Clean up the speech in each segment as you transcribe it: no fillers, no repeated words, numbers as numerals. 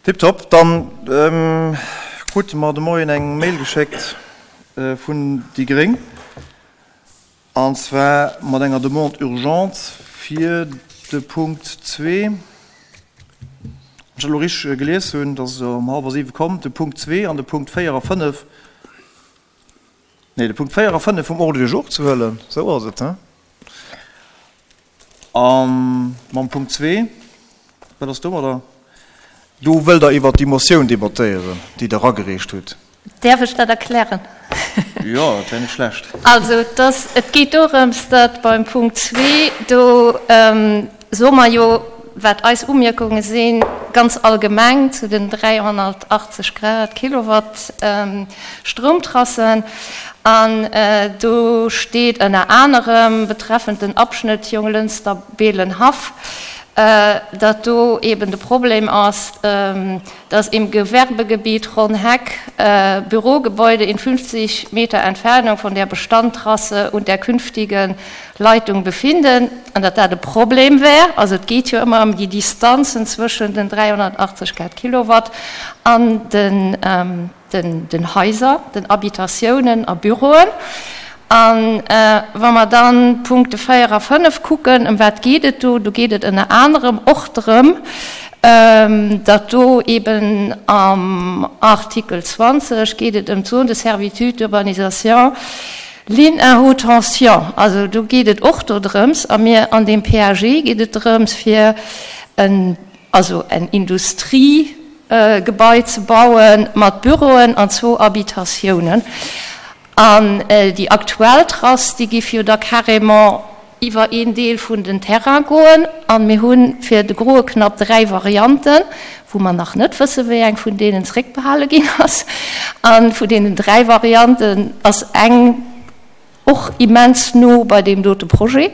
Tiptop, dann krute mer de Moien eng Mail geschéckt vun déi gréng, an zwar mat enger Demande urgente fir de Punkt zwee, wann ech dat elo richteg gelies hunn, dat ass um hallwer siwe komm, de Punkt zwee an de Punkt véier a fënnef, nee, de Punkt véier a fënnef vum Ordre du jour ze huelen, esou ass et, hein? A mam Punkt zwee, wat ass domadder? Do wëllt Der iwwert déi Motioun debattéieren, déi Der eragereecht hutt. Däerf ech dat erklären? Jo, dat wär net schlecht. Also, dass, et geet dorëms, datt beim Punkt zwee, do soe mer jo, wat eis Umierkunge sinn, ganz allgemeng zu den 380 Grad Kilowatt Stroumtrassen, An do steet ënner anerem betreffend den Abschnitt Jonglënster-Beelen-Haff, datt do eben de Problem ass, dass im Gewerbegebiet Ronn-Heck Bürogebäude in 50 Meter Entfernung von der Bestandtrasse und der künftigen Leitung befinden, an datt dat e Problem wär. Also et geet jo ëmmer ëm déi Distanzen zwëschen den 380 Grad Kilowatt an den den Haiser, den Habitatiounen a Büroen. A wa mer dann d'Punkte 4 a 5 kucken, ëm wat geet et do? Do geet et ënner anerem och drëm, datt do eben am Artikel 20 geet et ëm d'Zone de servitude d'urbanisation, ligne à haute tension. Also do geet et och dodrëms, a mir an deem PAG geet et drëms, fir en also en Industriegebai ze baue mat Büroen an zwou Habitatiounen. An déi aktuell Trass, déi géif jo da carrément iwwer een Deel vun den Terrain goen. A mir hu fir de groe Knapp 3 Varianten, wou mer nach net wësse wéi eng vun deenen zeréckbehale ginn ass. A vun deenen 3 Varianten ass eng, Och immens no bei deem dote Projet.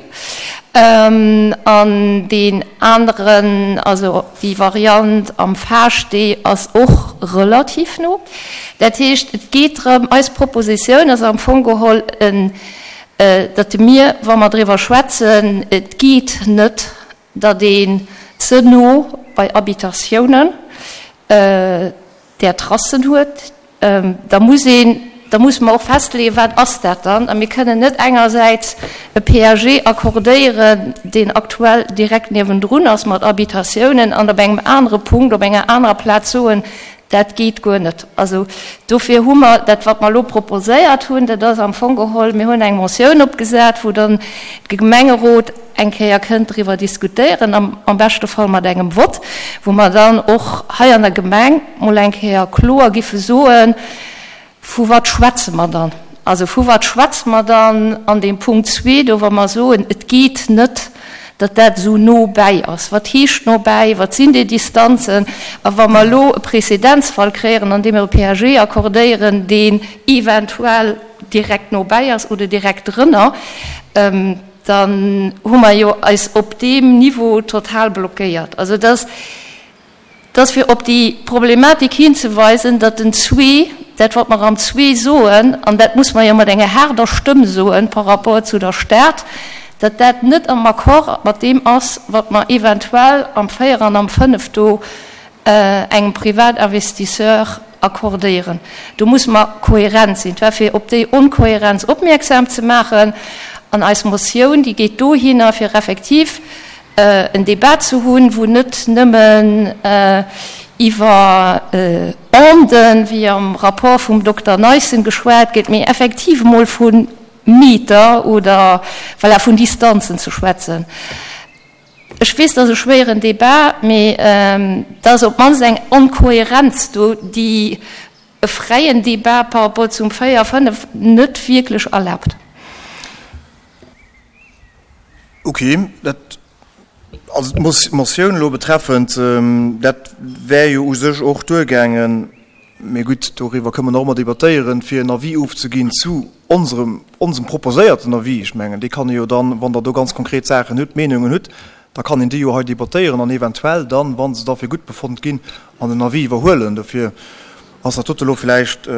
An deen aneren, also déi Variant am Faaschtee ass och relativ no. Dat heescht, et geet drëm, eis Propositioun ass am Fong geholl, datt mir, wa mer driwwer schwätzen, et geet net, datt een ze no bei Habitatiounen där Tracen huet, da muss een, da musse mer och festleeën, wat ass dat dann? A mir kënnen net engersäits e PAG accordéieren, deen aktuell direkt niewendrun ass mat Habitatiounen, an op engem anere Punkt, op enger anerer Plaz soen, dat geet guer net. Also dofir hu mer dat, wat mer elo proposéiert hunn, dat ass am Fong geholl, mir hunn eng Motioun opgesat, wou dann de Gemengerot eng Kéier kënnt driwwer diskutéieren, am beschte Fall mat engem Vott, wou mer dann och hei an der Gemeng mol eng Kéier kloer giffe soen, Vu wat schwätze mer dann? Also vu wat schwätze mer dann an deem Punkt zwee do, wa mer soen, et geet net, datt dat esou no bäi ass? Wat heescht no bäi? Wat sinn déi Distanzen? A wa mer elo e Präzedenzfall kréieren, an deem mer e PAG accordéieren, deen eventuell direkt no bäi ass oder direkt drënner, dann hu mer jo eis op deem Niveau total blockéiert. Also et ass, et ass fir op déi Problematik hinzeweisen, datt den zwee, dat wat mer am zwee soen, an dat muss mer jo mat enger haarder Stëmm soen par rapport zu der Stad, datt dat net am Accord mat deem ass, wat mer eventuell am 4 an am 5 do engem Privatinvestisseur accordéieren. Do musse mer kohärent sinn. Et war fir op déi Onkohärenz opmierksam ze maachen. An eis Motioun, déi geet dohinner, fir effektiv en Débat ze hunn, wou net nëmmen iwwer Onden, wéi am Rapport vum Dokter Neissen geschwat gëtt, mee effektiv emol vu Meter oder, voilà, vun Distanzen ze schwätzen. Ech weess, dat ass e schwéieren Débat, mee et ass op d'mannst eng Onkohärenz do, déi e fräien Débat par rapport zum 4, 5 net wierklech erlaabt. Ok, dat, also d'Motioun elo betreffend, dat wär jo u sech och duergaangen, Mee gutt, doriwwer kënne mer nach ëmmer debattéieren, fir en Avis ofzeginn zu onserem, onsem proposéierten Avis. Ech mengen, dee kann ee jo dann, wann Der do ganz konkret Saachen hutt, Meenungen hutt, da kann een déi jo hei debattéieren an eventuell dann, wa se da fir gutt befonnt ginn, an den Avis iwwerhuelen. Dofir ass dat dote elo vläicht,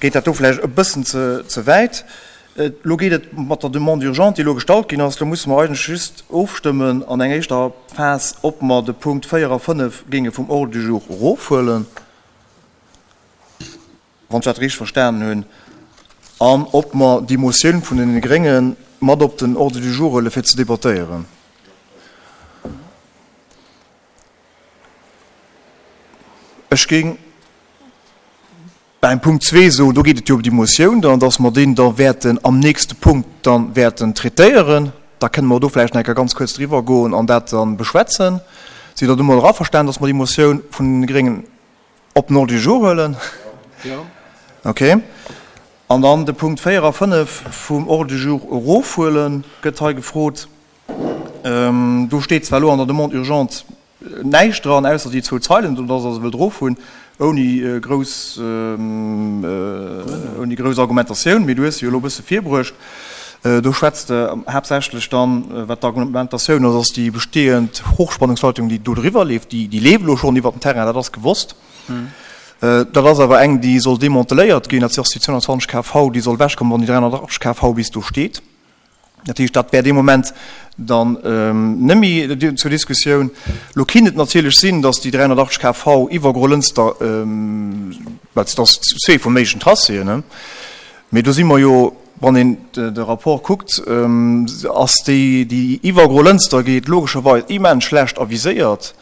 geet dat do vläicht e bëssen ze, ze wäit. Elo geet et mat der Demande urgente, déi elo gestallt ginn ass, elo musse mer eigentlech just ofstëmmen an eng éischter Phas, ob mer de Punkt 4 a 5 géinge vum Ordre du jour erofhuelen, wann ech dat richteg verstanen hunn, an ob mer déi Motioun vun deene Grénge mat op den Ordre du jour huele fir ze debattéieren. Ech géing beim Punkt zwee soen, do geet et jo ëm déi Motioun dann, dass mer deen da wäerten am nächste Punkt dann wäerten traitéieren. Da kënne mer do vläicht nach eng Kéier ganz kuerz driwwer goen an dat dann beschwätzen. Sidd Der domadder averstanen, dass mer déi Motioun vun de Gréngen op den Ordre du jour huelen? Jo. Okay. An dann de Punkt 4 a 5 vum Ordre du jour erofhuelen, gëtt hei gefrot. Do steet zwar elo an der Demande urgente näischt dran, ausser déi zwou Zeilen do, dass Der se wëllt erofhunn, ouni grouss, ouni grouss Argumentatioun. Mee du hues se jo elo e bësse virbruecht. Do schwätz de haaptsächlech dann, wat d'Argumentatioun ass, ass déi bestehend Hochspannungsleitung, déi do driwwer leeft, déi, déi leeft elo schonn iwwert den Terrain, dat ass gewosst. Dat ass awer eng, déi soll demanteléiert ginn, dat ass déi 220 kV, déi soll ewechkommen, wann déi 380 kV bis do steet. Dat heescht, dat wär dee Moment dann net méi zur Diskussioun. Elo kinnt et natierlech sinn, datt déi 380 kV iwwer Grolënster, well et ass zwee vum méiglechen Tracéen, mee do si mer jo, wann een de Rapport kuckt, ass déi, déi iwwer Grolënster geet, logescherweis immens schlecht aviséiert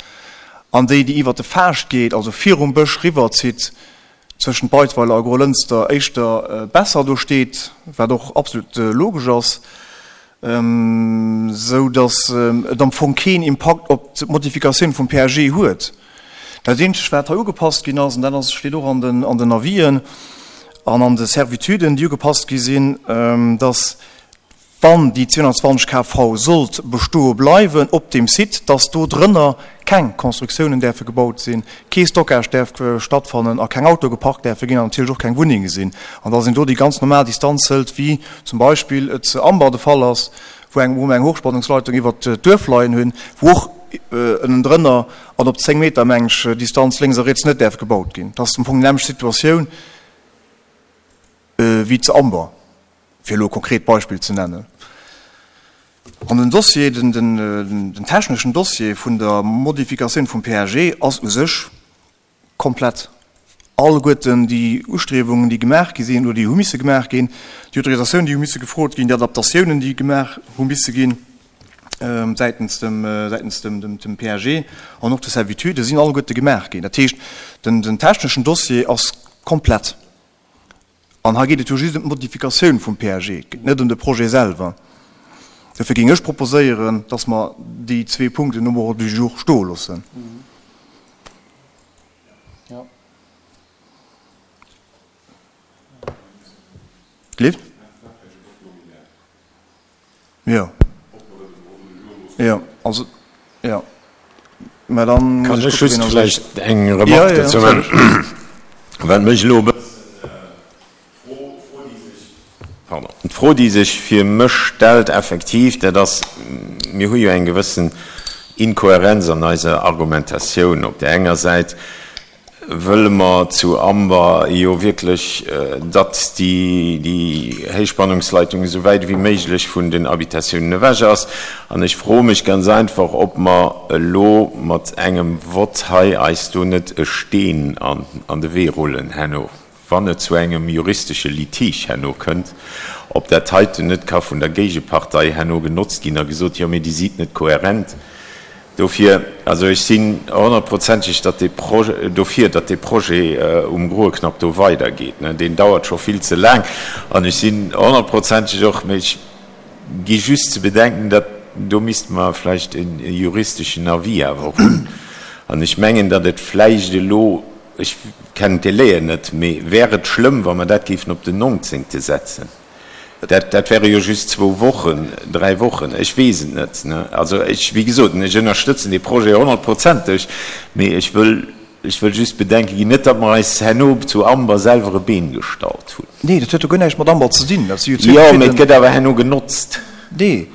an déi, déi iwwer de Faascht geet, also virum Bësch riwwerzitt, zwëschent Beidweiler a Grolënster éischter besser do steet, wat och absolut logesch ass, sou datt et am Fong keen Impakt op d'Modifikatioun vum PAG huet. Dat eenzegt wat hei ugepasst ginn ass, an dat ass steet och an den an den Avisen an an de Servituden, déi ugepasst gi sinn, datt wann déi 220 kV sollt bestoe bleiwen op deem Site, dass do drënner keng Constructiounen däerfe gebaut sinn, kee Stockage däerf stattfannen a keng Autoe geparkt däerfe ginn an natierlech och keng Wunnenge sinn, an dass een do déi ganz normal Distanz hëlt, wéi zum Beispill et zu Amber de Fall ass, wou eng, wou mer eng Hochspannungsleitung iwwert d'Duerf leien hunn, wou och ënnendrënner an op 10 Meter, meng ech, Distanz lénks a riets net däerf gebaut ginn. Dat ass am Fong déi nämmlecht Situatioun wéi zu Amber. fir elo e konkret Beispill ze nennen. An den Dossier, den techneschen Dossier vun der Modifikatioun vum PAG ass u sech komplett. Alleguerten déi Ustriewungen, déi gemaach gi sinn oder déi hu misse gemaach ginn, déi Autorisatiounen, déi hu misse gefrot ginn, déi Adaptatiounen, déi gemaach hu misse ginn säitens dem, säitens dem PAG an och de Servitude sinn alleguerte gemaach ginn. Dat heescht, den techneschen Dossier ass komplett. An hei geet et jo just ëm d'Modifikatioun vum PAG, et geet net ëm de Projet selwer. Dofir géing ech proposéieren, dass mer déi zwee Punkten um Ordre du jour stoe loossen. Gleeft? Jo. Jo, also, jo. Mä dann Kann ech just vläicht eng Remarque dozou maachen? Wat mech elo e bëssen, pardon, d'Fro, déi sech fir mech stellt effektiv, dat ass, mir hu jo eng gewëssen Inkohärenz an eiser Argumentatioun. Op där enger Säit Wëlle mer zu Amber jo wierklech, datt déi Héichspannungsleitung esou wäit ewéi méiglech vun den Habitatiounen ewech ass. An ech froe mech ganz einfach, ob mer elo mat engem Vott hei eis do net e Steen an de Wee rullen herno, wann et zu engem juristesche Litige herno kënnt, ob dat heiten net ka vun der Géigepartei herno genotzt ginn a gesot, jo mee Dir sidd net kohärent. Dofir, also ech sinn honnertprozenteg datt dee Projet, dofir, datt dee Projet um Groe Knapp do weidergeet. Deen dauert scho vill ze laang an ech sinn honnertprozenteg och, mee ech gi just ze bedenken, datt do misste mer vläicht e juristeschen Avis awer hunn. An ech mengen, datt et vläicht elo, ech kennen d'Délaien net, mee wär et schlëmm, wa mer dat géifen op den nongzéngte setzen? Dat, dat wäre jo just zwou Wochen, dräi Wochen, ech weess et net. Also ech, wéi gesot, ech ënnerstëtzen dee Projet honnertprozenteg, mee ech wëll, ech wëll just bedenke ginn, net datt mer eis herno zu Amber selwer e Been gestallt hunn. Nee, dat huet jo guer näischt mat Amber ze dinn. Dat si jo zwee verschidden. Jo, mee et gëtt awer herno genotzt. Nee,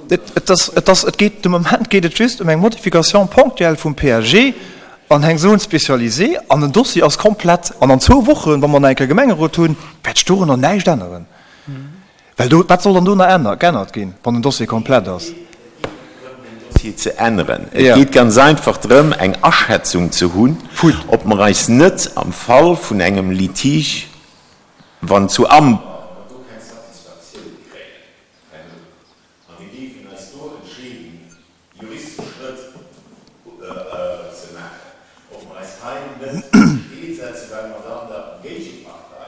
et ass, et ass, et geet, de Moment geet et just ëm eng Modification ponctuelle vum PAG an eng Zone spécialisée an den Dossier ass komplett. An an zwou Wochen, wa mer nach eng Kéier Gemengerot hunn, wäert sech dorunner näischt änneren. Well do, wat soll dann do nach ännert, geännert ginn, wann den Dossier komplett ass? Et geet net drëm, den Dossier ze änneren. Et geet ganz einfach drëm, eng Aschätzung ze hunn, ob mer eis net am Fall vun engem Litige, wann zu Amber, mer do keng Satisfaktioun kréien herno, a mir géifen eis do entscheeden, juristesch Schrëtt ze maachen, ob mer eis hei net steet setzen, well mer dann der Géigepartei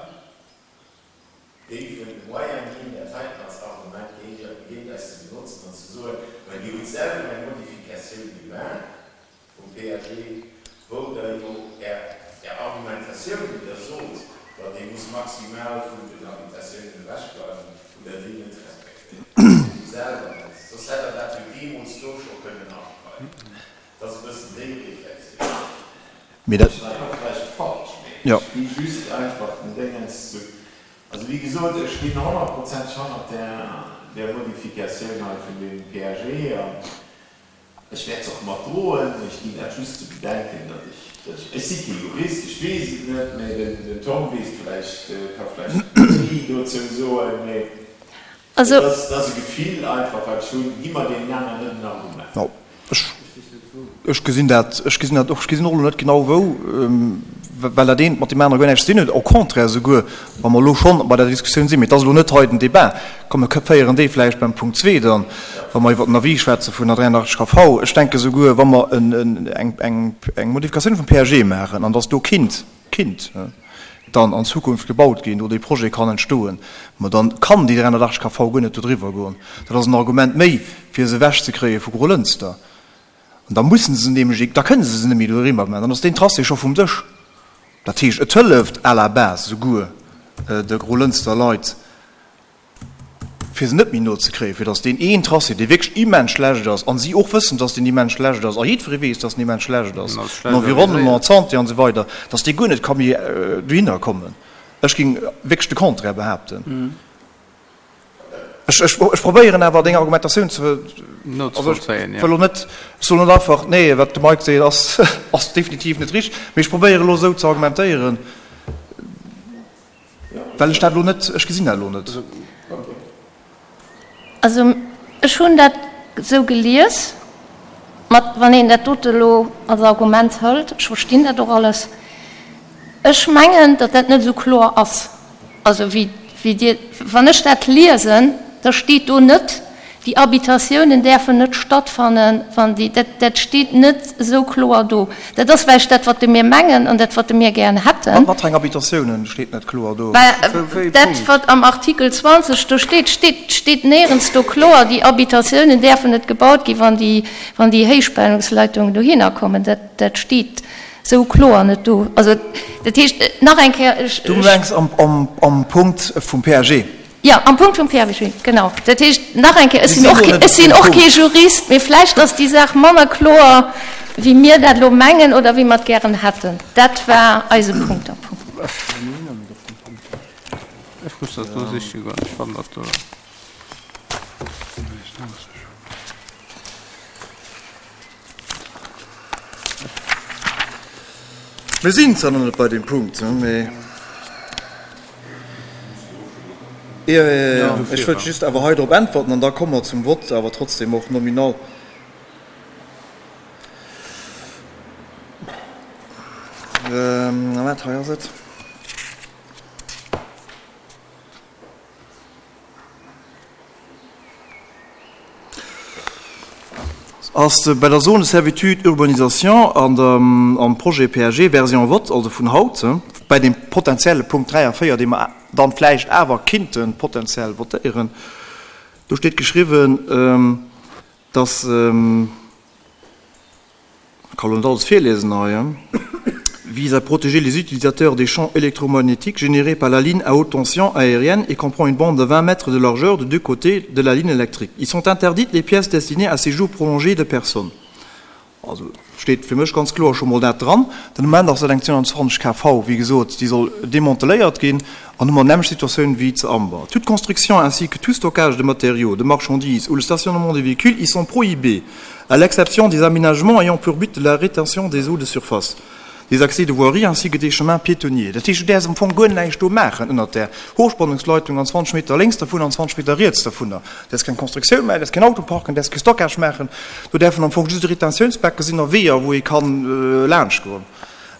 géifen de Moyen ginn, dat heiten als Argument géint eis ze benotzen an ze soen, Mä Dir hutt selwer eng Modifikatioun gemaach vum PAG, wou Der jo Är Argumentatioun, déi Der sot, datt ee muss maximal vun den Habitatiounen ewechbleiwen, hutt Der déi net respektéiert. Dir selwer net, soss hätt Der dat jo deemools do scho kënnen aschreiwen. Dat ass e bëssen déi Reflexioun. Mee dat. Ech leien och vläicht falsch, mee ech gi just einfach den Déngens zu. Also wéi gesot, ech stinn honnertprozenteg hannert där Modifikatioun hei vun deem PAG an ech wäert se och mat droen. Ech ginn dat just ze bedenken, datt ech, datt ech, ech si kee Jurist, ech weess et net, mee den Tom weess et vläicht, ka vläicht méi dozou soen, mee Also. Et ass, et ass e Gefill einfach, wat ech hunn. Gi mer deenen aneren net en Argument. No, ech, ech gesinn dat, ech gesinn dat och, ech gesinn och elo net genau wou, well dat eent mat deem anere guer näischt ze dinn huet, au contraire esouguer, wa mer elo schonn bei der Diskussioun sinn. Mee et ass elo net hei den Débat. Komm, mir féieren dee vläicht beim Punkt zwee dann, wa mer iwwert den Avis schwätze vun der 83 KV. Ech denke souguer, wa mer en, eng, eng, eng Modifikatioun vum PAG maachen an dass do kinnt, kinnt dann an Zukunft gebaut ginn oder dee Projet kann entstoen, ma dann kann déi 380 KV guer net do driwwer goen. Dat ass en Argument méi, fir se ewechzekréie vu Grolënster. An da mussen se nämlech, da kënne se se net méi do eriwwer maachen, dann ass deen Tracé scho vum Dësch. Dat heescht, et hëlleft à la base souguer de Grolënster Leit, fir se net méi no ze kréien, fir datt deen een Tracé, dee wierklech immens schlecht ass, a si och wëssen, datt deen immens schlecht ass, a jiddweree weess, datt en immens schlecht ass, den Environnement, d'Santé an esou weider, datt dee guer net ka méi dohinner kommen. Ech géing wierklech de Contraire behaapten. Ech, ech, ech probéieren awer deng Argumentatioun ze, also ech wëll elo net, ech soen net einfach, nee, wat de Mike seet, ass, ass definitiv net richteg, mee ech probéieren elo esou ze argumentéieren, Well ech dat elo net, ech gesinn dat elo net. Also ech hunn dat esou gelies, mat wann een dat dote elo als Argument hëlt, ech verstinn dat och alles, ech mengen, datt dat net esou kloer ass, also wéi wéi Dir, wann ech dat liesen, da steet do net, Déi Habitatiounen däerfen net stattfannen, wann déi, dat, dat steet net esou kloer do. Dat ass vläicht dat, wat de mir mengen an dat, wat de mir gären hätten. Wat fir eng Habitatiounen steet net kloer do? Mä dat, wat am Artikel 20 do steet, steet, steet néierens do kloer, déi Habitatiounen däerfen net gebaut ginn, wann déi, wann déi Héichspannungsleitungen dohinner kommen. Dat, dat steet esou kloer net do. Also, dat heescht, nach eng Kéier, ech, Du mengs am, am, am Punkt vum PAG? Jo, am Punkt vum PAG, genau. Dat heescht, nach eng Kéier, ech sinn och, ech sinn och kee Jurist, mee vläicht ass déi Saach manner kloer, wéi mir dat elo mengen oder wéi mer et gären hätten. Dat war eise Punkt am Fong. Ech muss dat do siche goen, ech fannen dat do. Mir sinn zwar nach net bei deem Punkt, mee jo, jo, jo, ech wëllt just awer hei drop äntwerten an da komme mer zum Vott, awer trotzdem och nominal. Wat, hei ass et. Ass bei der Zone de servitude urbanisation an der, am Projet PAG Version vote, also vun haut, bei deem potenzielle Punkt 3 a 4, dee mer dann vläicht awer kinnte potenziell votéieren, do steet geschriwwen, dass, Kann elo net alles virliesen hei, vise à protéger les utilisateurs des champs électromagnétiques générés par la ligne à haute tension aérienne et comprend une bande de 20 mètres de largeur de deux côtés de la ligne électrique. Ils sont interdites les pièces destinées à séjour prolongé de personnes. Also steet fir mech ganz kloer scho mol dat dran. Den Moment ass dat eng 220 kV, wéi gesot, déi soll demanteléiert ginn an hu mer d'nämmlecht Situatioun wéi zu Amber. Toute construction ainsi que tout stockage de matériaux, de marchandises ou le stationnement des véhicules y sont prohibés, à l'exception des aménagements ayant pour but la rétention des eaux de surface. Des accès de voirie ainsi que des chemins piétonniers. Dat heescht, du däerfs am Fong guer näischt do maachen ënnert där Hochspannungsleitung an 20 Meter lénks dervun an 20 Meter riets dervunner. Däerfs keng Constructioun maachen, däerfs keen Auto parken, däerfs kee Stockage maachen. Do däerfen am Fong just Retentiounsbecke sinn a Weeër, wou ee kann laanschtgoen,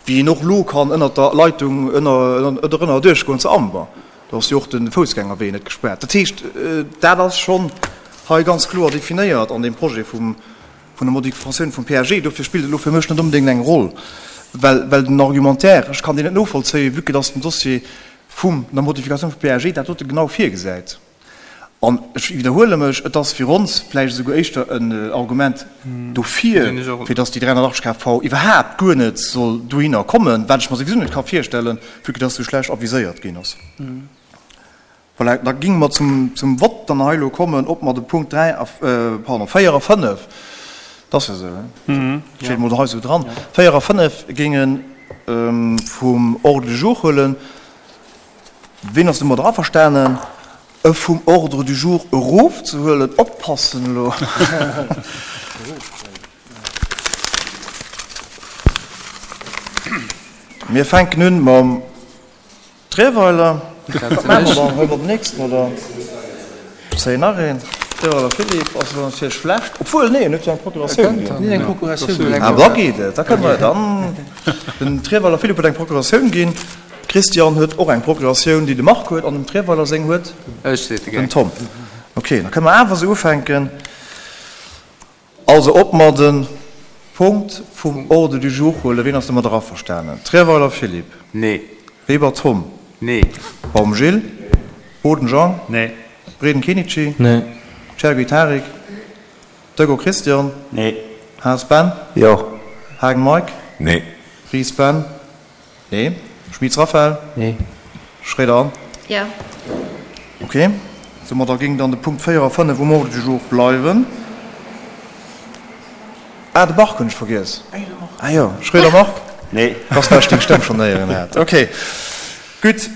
wéi een och elo kann ënnert der Leitung ënner ënner duerchgoen zu Amber. Do ass jo och de Foussgängerwee net gespaart. Dat heescht, dat ass schonn hei ganz kloer definéiert an deem Projet vum vun der Modifikatioun vum PAG. Dofir spillt et elo fir mech net onbedéngt eng Roll, well, well den Argumentaire, ech kann deen net novollzéien, vue que dass den Dossier vum der Modifikatioun vum PAG dat dote genau virgesäit. An ech widderhuele mech, et ass fir ons vläicht esouguer éischter en Argument dofir, fir dass déi 380 kV iwwerhaapt guer net soll dohinner kommen, wat ech mer souwisou net ka virstellen, vue que dass esou schlecht aviséiert ginn ass. Voilà, da géinge mer zum Vott dann hei elo kommen, ob mer de Punkt 3 a, pardon, 4 a 5, dat ass jo esou, he? Steet emol hei esou dran, 4 a 5 géinge vum Ordre du jour huelen. Ween ass domadder averstanen, e vum Ordre du jour erofzehuelen? Oppassen elo! Mir fänken un mam. Trierweiler, wat maache mer dann? Huele mer den nächsten oder zéien nach een? Trierweiler Philippe ass elo natierlech schlecht, obwuel, nee, en huet jo eng Procuratioun ginn. Eng Procuratioun. Ah, da geet et, da kënne mer dann. Den Trierweiler Philippe huet eng Procuratioun ginn, Christian huet och eng Procuratioun, déi de Marc huet, an dem Trierweiler seng huet den Tom. Okay, da kënne mer awer esou ufänken. Also, ob mer de Punkt vum Ordre du jour huelen, wien ass domadder averstanen? Trierweiler Philippe. Nee. Weber Tom. Nee. Baum Gilles. Boden Jean. Nee. Breden Kenichi. Nee. Chergui Tarik. Dögo Christian. Nee. Haas Ben. Jo. Haagen Mike. Nee. Ries Ben. Nee. Schmitz Raphaël? Nee. Schroeder Anne? Jo. Ok. Domadder géing dann de Punkt 4 a 5 um Ordre du jour bleiwen. Ah, de Marc hunn ech vergiess. Ah jo, Schroeder Marc? Nee. Dass well ech deng Stëmm schonn héieren hat. Ok, gutt.